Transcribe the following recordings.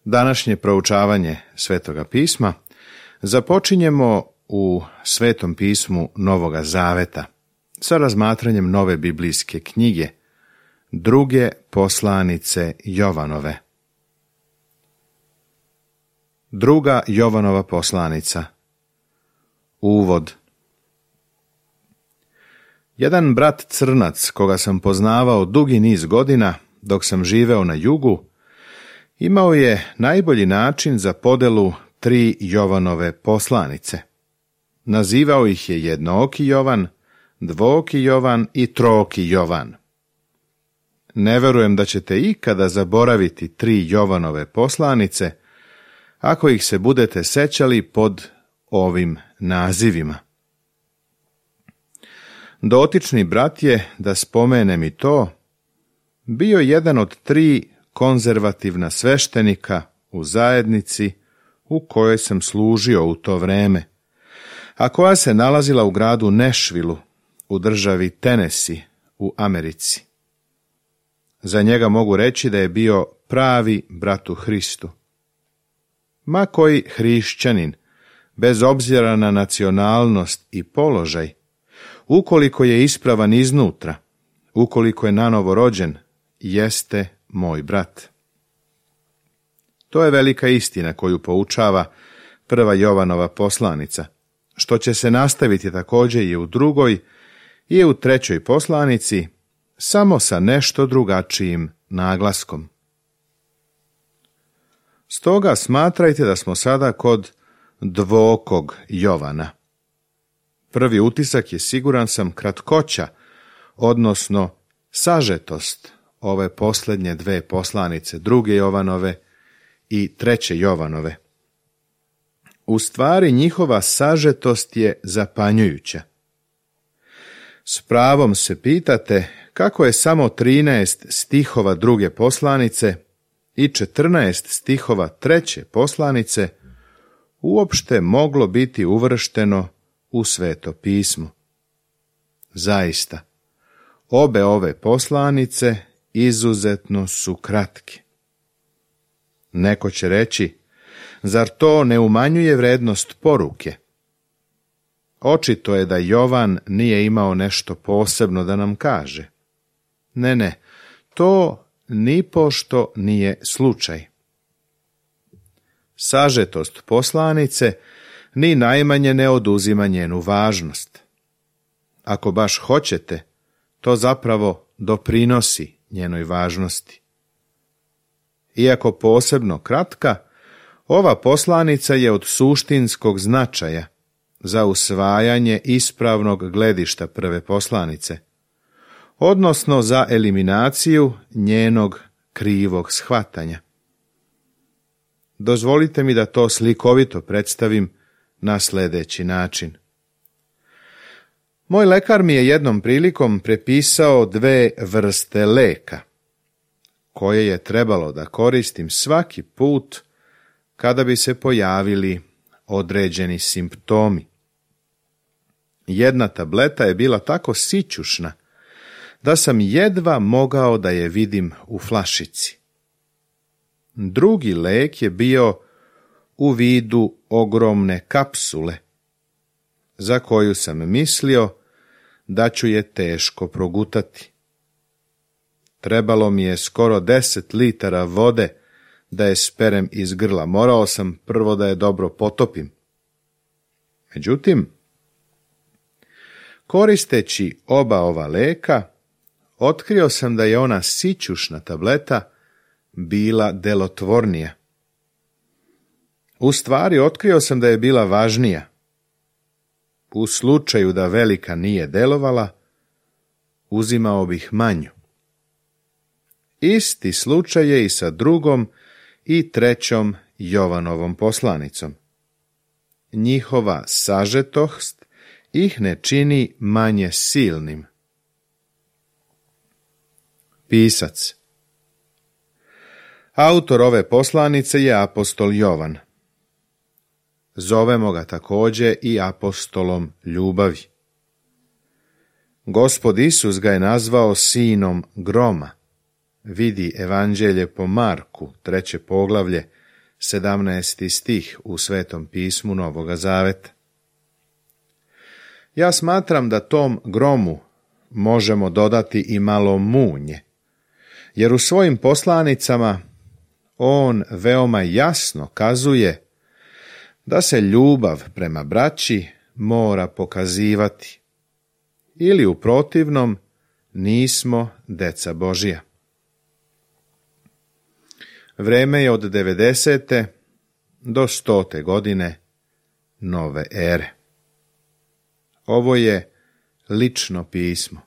Današnje proučavanje Svetoga pisma započinjemo u Svetom pismu Novoga Zaveta sa razmatranjem nove biblijske knjige, druge poslanice Jovanove. Druga Jovanova poslanica. Uvod. Jedan brat Crnac, koga sam poznavao dugi niz godina dok sam živeo na jugu, imao je najbolji način za podelu 3 Jovanove poslanice. Nazivao ih je jednooki Jovan, dvooki Jovan i trooki Jovan. Ne verujem da ćete ikada zaboraviti 3 Jovanove poslanice, ako ih se budete sećali pod ovim nazivima. Dotični brat je, da spomenem i to, bio jedan od 3 konzervativna sveštenika u zajednici u kojoj sam služio u to vreme, a koja se nalazila u gradu Nešvilu u državi Tennessee u Americi. Za njega mogu reći da je bio pravi brat u Hristu. Ma koji hrišćanin, bez obzira na nacionalnost i položaj, ukoliko je ispravan iznutra, ukoliko je nanovo rođen, jeste moj brat. To je velika istina koju poučava prva Jovanova poslanica, što će se nastaviti također i u drugoj i u trećoj poslanici, samo sa nešto drugačijim naglaskom. Stoga smatrajte da smo sada kod dvookog Jovana. Prvi utisak je, siguran sam, kratkoća, odnosno sažetost ove posljednje 2 poslanice, druge Jovanove i treće Jovanove. U stvari njihova sažetost je zapanjujuća. S pravom se pitate kako je samo 13 stihova druge poslanice i 14 stihova treće poslanice uopšte moglo biti uvršteno u Sveto pismo. Zaista, obe ove poslanice izuzetno su kratke. Neko će reći, zar to ne umanjuje vrednost poruke? Očito je da Jovan nije imao nešto posebno da nam kaže. Ne, to nipošto nije slučaj. Sažetost poslanice ni najmanje ne oduzima njenu važnost. Ako baš hoćete, to zapravo doprinosi njenoj važnosti. Iako posebno kratka, ova poslanica je od suštinskog značaja za usvajanje ispravnog gledišta prve poslanice, odnosno za eliminaciju njenog krivog shvatanja. Dozvolite mi da to slikovito predstavim na sljedeći način. Moj lekar mi je jednom prilikom prepisao 2 vrste leka, koje je trebalo da koristim svaki put kada bi se pojavili određeni simptomi. Jedna tableta je bila tako sićušna da sam jedva mogao da je vidim u flašici. Drugi lek je bio u vidu ogromne kapsule, za koju sam mislio da ću je teško progutati. Trebalo mi je skoro 10 litara vode da je sperem iz grla. Morao sam prvo da je dobro potopim. Međutim, koristeći oba ova leka, otkrio sam da je ona sićušna tableta bila delotvornija. U stvari, otkrio sam da je bila važnija. U slučaju da velika nije delovala, uzimao bih manju. Isti slučaj je i sa drugom i trećom Jovanovom poslanicom. Njihova sažetost ih ne čini manje silnim. Pisac. Autor ove poslanice je apostol Jovan. Zovemo ga također i apostolom ljubavi. Gospod Isus ga je nazvao sinom groma. Vidi Evanđelje po Marku, 3. poglavlje, 17. stih u Svetom pismu Novoga Zaveta. Ja smatram da tom gromu možemo dodati i malo munje, jer u svojim poslanicama on veoma jasno kazuje da se ljubav prema braći mora pokazivati, ili u protivnom nismo deca Božija. Vreme je od 90. do 100. godine nove ere. Ovo je lično pismo.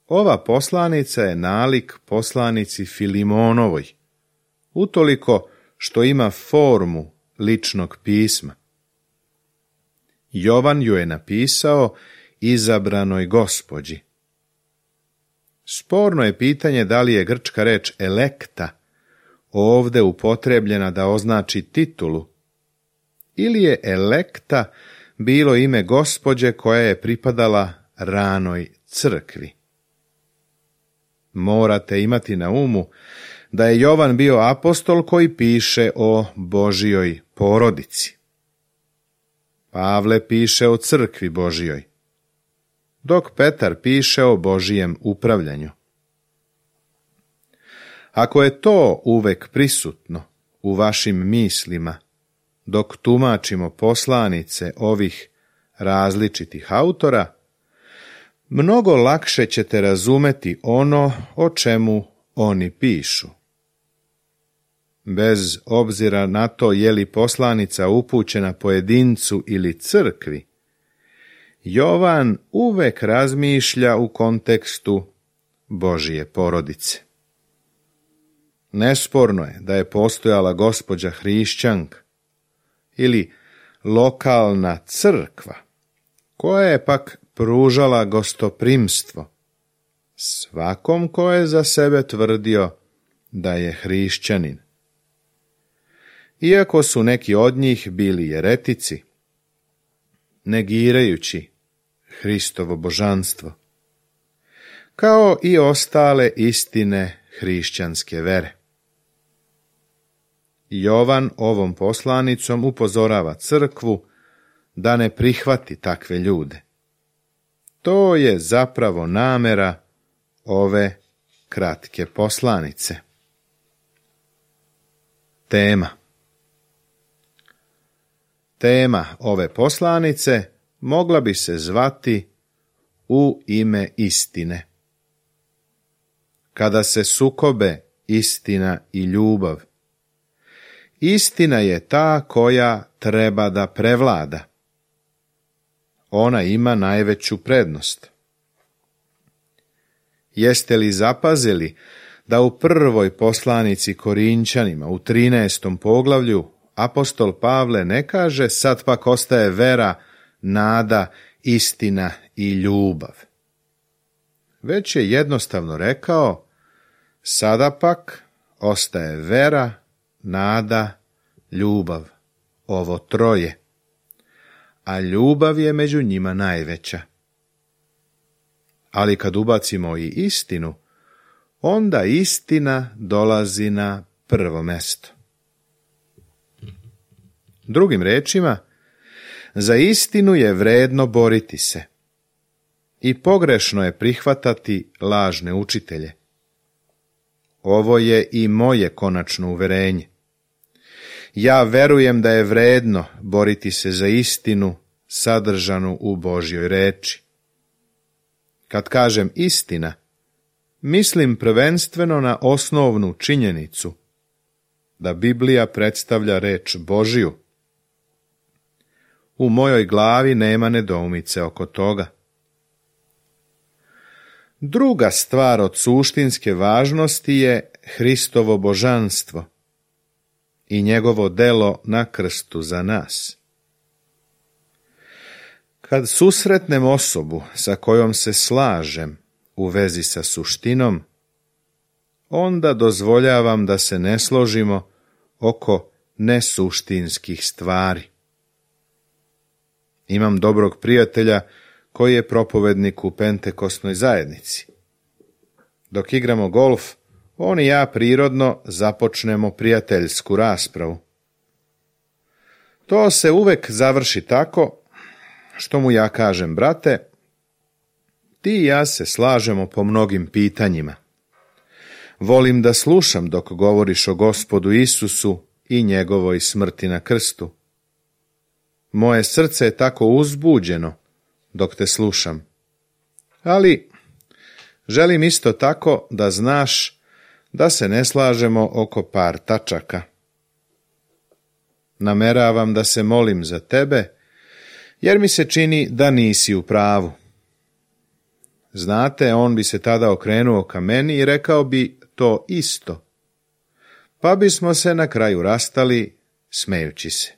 Ova poslanica je nalik poslanici Filimonovoj, utoliko što ima formu ličnog pisma. Jovan ju je napisao izabranoj gospođi. Sporno je pitanje da li je grčka reč elekta ovde upotrebljena da označi titulu, ili je elekta bilo ime gospođe koja je pripadala ranoj crkvi. Morate imati na umu da je Jovan bio apostol koji piše o Božijoj porodici. Pavle piše o crkvi Božijoj, dok Petar piše o Božijem upravljanju. Ako je to uvek prisutno u vašim mislima, dok tumačimo poslanice ovih različitih autora, mnogo lakše ćete razumeti ono o čemu oni pišu. Bez obzira na to je li poslanica upućena pojedincu ili crkvi, Jovan uvek razmišlja u kontekstu Božije porodice. Nesporno je da je postojala gospođa hrišćanka ili lokalna crkva, koja je pak pružala gostoprimstvo svakom ko je za sebe tvrdio da je hrišćanin. Iako su neki od njih bili jeretici, negirajući Hristovo božanstvo, kao i ostale istine hrišćanske vere. Jovan ovom poslanicom upozorava crkvu da ne prihvati takve ljude. To je zapravo namera ove kratke poslanice. Tema ove poslanice mogla bi se zvati U ime istine. Kada se sukobe istina i ljubav, istina je ta koja treba da prevlada. Ona ima najveću prednost. Jeste li zapazili da u prvoj poslanici Korinćanima u 13. poglavlju apostol Pavle ne kaže sad pak ostaje vera, nada, istina i ljubav, već je jednostavno rekao sada pak ostaje vera, nada, ljubav, ovo troje, a ljubav je među njima najveća. Ali kad ubacimo i istinu, onda istina dolazi na prvo mesto. Drugim rečima, za istinu je vredno boriti se i pogrešno je prihvatati lažne učitelje. Ovo je i moje konačno uverenje. Ja verujem da je vredno boriti se za istinu sadržanu u Božjoj reči. Kad kažem istina, mislim prvenstveno na osnovnu činjenicu da Biblija predstavlja reč Božju. U mojoj glavi nema nedoumice oko toga. Druga stvar od suštinske važnosti je Hristovo božanstvo i njegovo delo na krstu za nas. Kad susretnem osobu sa kojom se slažem u vezi sa suštinom, onda dozvoljavam da se ne složimo oko nesuštinskih stvari. Imam dobrog prijatelja koji je propovednik u Pentekosnoj zajednici. Dok igramo golf, on i ja prirodno započnemo prijateljsku raspravu. To se uvek završi tako što mu ja kažem: brate, ti i ja se slažemo po mnogim pitanjima. Volim da slušam dok govoriš o Gospodu Isusu i njegovoj smrti na krstu. Moje srce je tako uzbuđeno dok te slušam. Ali želim isto tako da znaš da se ne slažemo oko par tačaka. Nameravam da se molim za tebe, jer mi se čini da nisi u pravu. Znate, on bi se tada okrenuo ka meni i rekao bi to isto, pa bismo se na kraju rastali smejući se.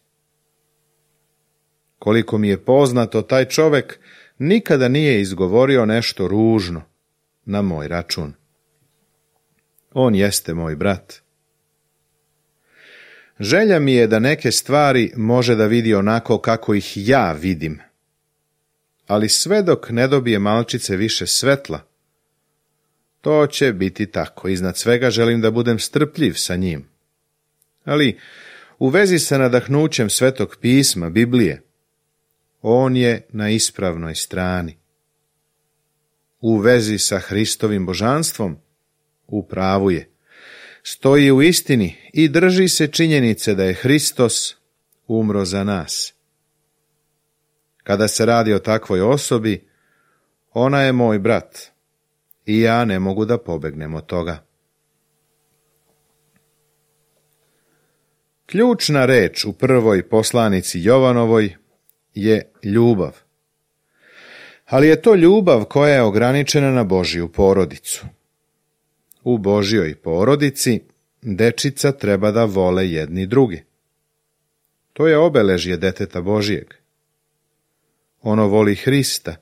Koliko mi je poznato, taj čovek nikada nije izgovorio nešto ružno na moj račun. On jeste moj brat. Želja mi je da neke stvari može da vidi onako kako ih ja vidim, ali sve dok ne dobije malčice više svetla, to će biti tako. Iznad svega želim da budem strpljiv sa njim. Ali u vezi sa nadahnućem Svetog pisma, Biblije, on je na ispravnoj strani. U vezi sa Hristovim božanstvom, u pravu je. Stoji u istini i drži se činjenice da je Hristos umro za nas. Kada se radi o takvoj osobi, ona je moj brat i ja ne mogu da pobegnem od toga. Ključna reč u prvoj poslanici Jovanovoj je ljubav. Ali je to ljubav koja je ograničena na Božju porodicu. U Božjoj porodici dečica treba da vole jedni drugi. To je obeležje deteta Božjeg. Ono voli Hrista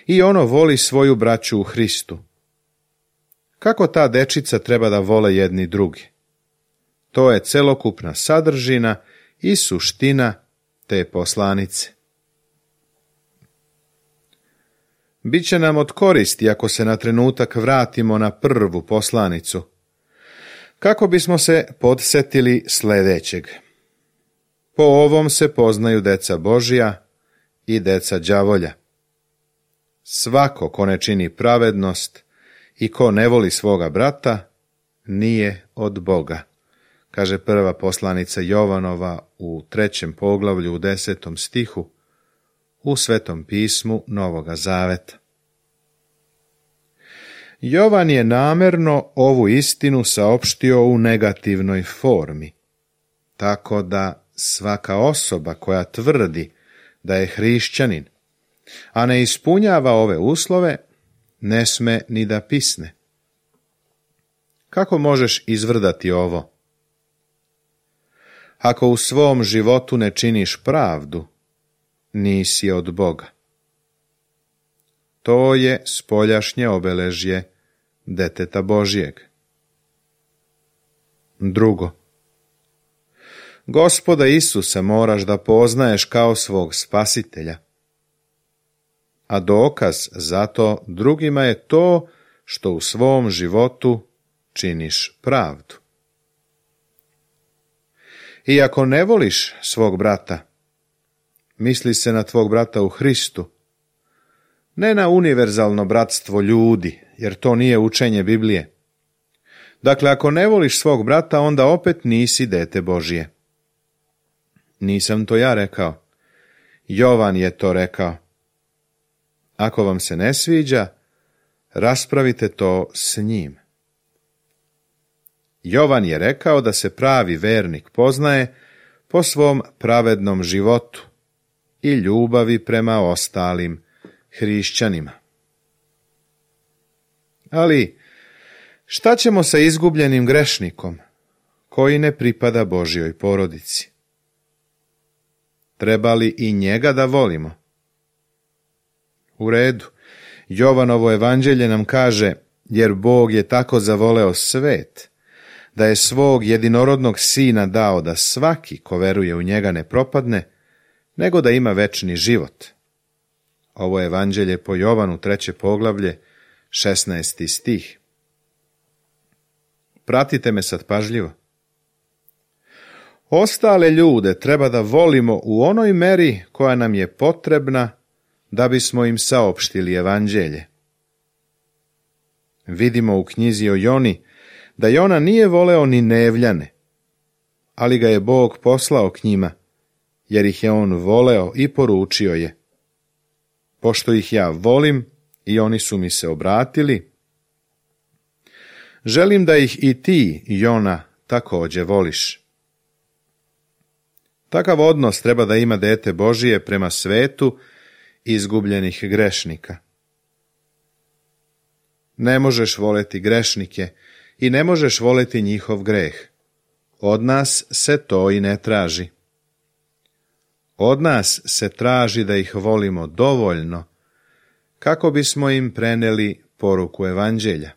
i ono voli svoju braću u Hristu. Kako ta dečica treba da vole jedni drugi? To je celokupna sadržina i suština te poslanice. Biće nam od koristi ako se na trenutak vratimo na prvu poslanicu, kako bismo se podsjetili sljedećeg. Po ovom se poznaju deca Božja i deca đavolja. Svako ko ne čini pravednost i ko ne voli svoga brata, nije od Boga, kaže prva poslanica Jovanova u 3. poglavlju u 10. stihu u Svetom pismu Novoga Zaveta. Jovan je namerno ovu istinu saopštio u negativnoj formi, tako da svaka osoba koja tvrdi da je hrišćanin, a ne ispunjava ove uslove, ne sme ni da pisne. Kako možeš izvrdati ovo? Ako u svom životu ne činiš pravdu, nisi od Boga. To je spoljašnje obeležje deteta Božjeg. Drugo, Gospoda Isusa moraš da poznaješ kao svog spasitelja, a dokaz za to drugima je to što u svom životu činiš pravdu. I ako ne voliš svog brata, misli se na tvog brata u Hristu, ne na univerzalno bratstvo ljudi, jer to nije učenje Biblije. Dakle, ako ne voliš svog brata, onda opet nisi dete Božje. Nisam to ja rekao. Jovan je to rekao. Ako vam se ne sviđa, raspravite to s njim. Jovan je rekao da se pravi vernik poznaje po svom pravednom životu i ljubavi prema ostalim hrišćanima. Ali šta ćemo sa izgubljenim grešnikom koji ne pripada Božjoj porodici? Treba li i njega da volimo? U redu, Jovanovo evanđelje nam kaže, jer Bog je tako zavoleo svet, da je svog jedinorodnog sina dao da svaki ko veruje u njega ne propadne, nego da ima večni život. Ovo je evanđelje po Jovanu 3. poglavlje, 16. stih. Pratite me sad pažljivo. Ostale ljude treba da volimo u onoj meri koja nam je potrebna da bismo im saopštili evanđelje. Vidimo u knjizi o Joni da Jona nije voleo ni Nevljane, ali ga je Bog poslao k njima, jer ih je on voleo i poručio je: pošto ih ja volim i oni su mi se obratili, želim da ih i ti, Jona, također voliš. Takav odnos treba da ima dete Božije prema svetu izgubljenih grešnika. Ne možeš voleti grešnike i ne možeš voleti njihov greh. Od nas se to i ne traži. Od nas se traži da ih volimo dovoljno kako bismo im preneli poruku evanđelja.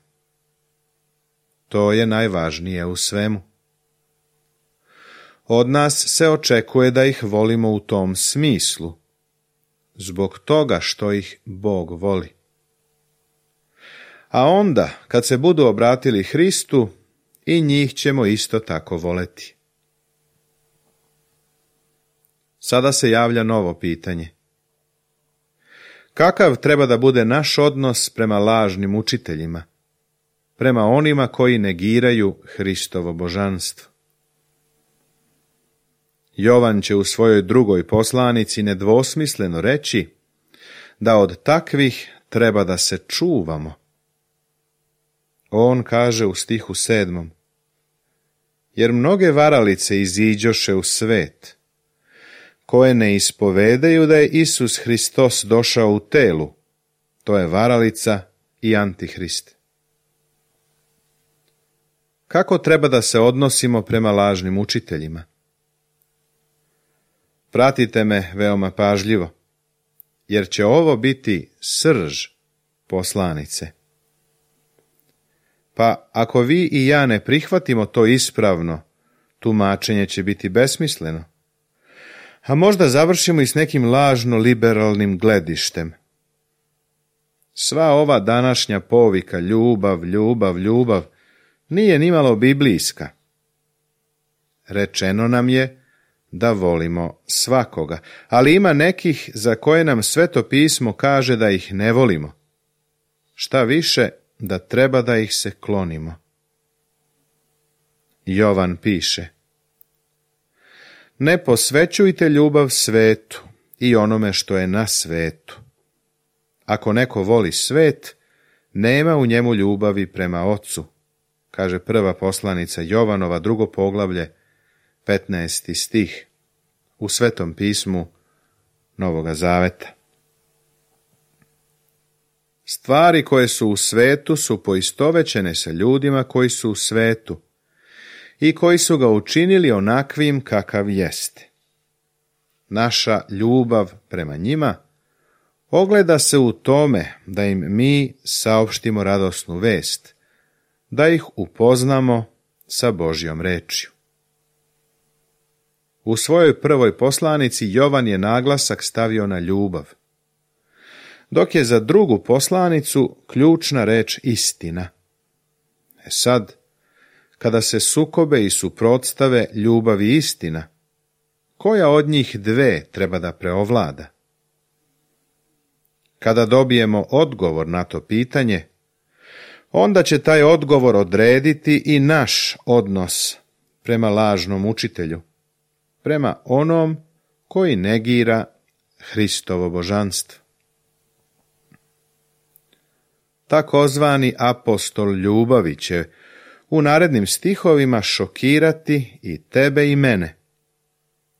To je najvažnije u svemu. Od nas se očekuje da ih volimo u tom smislu, zbog toga što ih Bog voli. A onda, kad se budu obratili Hristu, i njih ćemo isto tako voleti. Sada se javlja novo pitanje. Kakav treba da bude naš odnos prema lažnim učiteljima, prema onima koji negiraju Hristovo božanstvo? Jovan će u svojoj drugoj poslanici nedvosmisleno reći da od takvih treba da se čuvamo. On kaže u stihu 7. Jer mnoge varalice iziđoše u svet, koje ne ispovedaju da je Isus Hristos došao u telu, to je varalica i antihrist. Kako treba da se odnosimo prema lažnim učiteljima? Pratite me veoma pažljivo, jer će ovo biti srž poslanice. Pa ako vi i ja ne prihvatimo to ispravno, tumačenje će biti besmisleno. A možda završimo i s nekim lažno liberalnim gledištem. Sva ova današnja povika ljubav, ljubav, ljubav nije nimalo biblijska. Rečeno nam je da volimo svakoga, ali ima nekih za koje nam Sveto pismo kaže da ih ne volimo. Šta više, da treba da ih se klonimo. Jovan piše: ne posvećujte ljubav svetu i onome što je na svetu. Ako neko voli svet, nema u njemu ljubavi prema Ocu, kaže prva poslanica Jovanova, 2. poglavlje, 15. stih, u Svetom pismu Novoga Zaveta. Stvari koje su u svetu su poistovećene sa ljudima koji su u svetu i koji su ga učinili onakvim kakav jeste. Naša ljubav prema njima ogleda se u tome da im mi saopštimo radosnu vest, da ih upoznamo sa Božjom rečju. U svojoj prvoj poslanici Jovan je naglasak stavio na ljubav, dok je za drugu poslanicu ključna reč istina. Sad, kada se sukobe i suprotstave ljubav i istina, koja od njih dve treba da preovlada? Kada dobijemo odgovor na to pitanje, onda će taj odgovor odrediti i naš odnos prema lažnom učitelju, prema onom koji negira Hristovo božanstvo. Takozvani apostol ljubavi će u narednim stihovima šokirati i tebe i mene,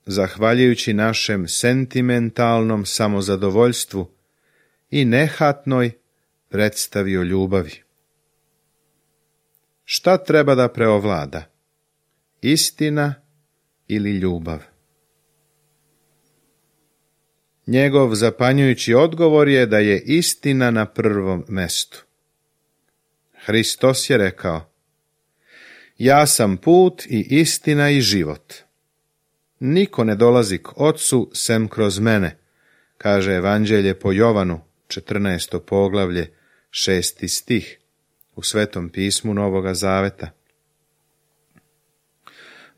zahvaljujući našem sentimentalnom samozadovoljstvu i nehatnoj predstavi o ljubavi. Šta treba da preovlada? Istina ili ljubav? Njegov zapanjujući odgovor je da je istina na prvom mestu. Hristos je rekao: ja sam put i istina i život. Niko ne dolazi k Ocu sem kroz mene, kaže Evanđelje po Jovanu, 14. poglavlje, 6. stih, u Svetom pismu Novoga Zaveta.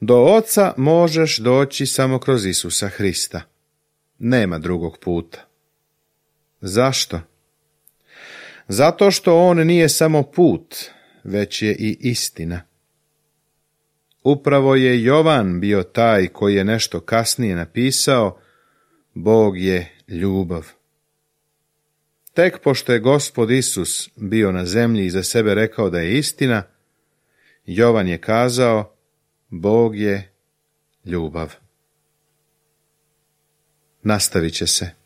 Do Oca možeš doći samo kroz Isusa Hrista. Nema drugog puta. Zašto? Zato što on nije samo put, već je i istina. Upravo je Jovan bio taj koji je nešto kasnije napisao: Bog je ljubav. Tek pošto je Gospod Isus bio na zemlji i za sebe rekao da je istina, Jovan je kazao: Bog je ljubav. Nastavit će se.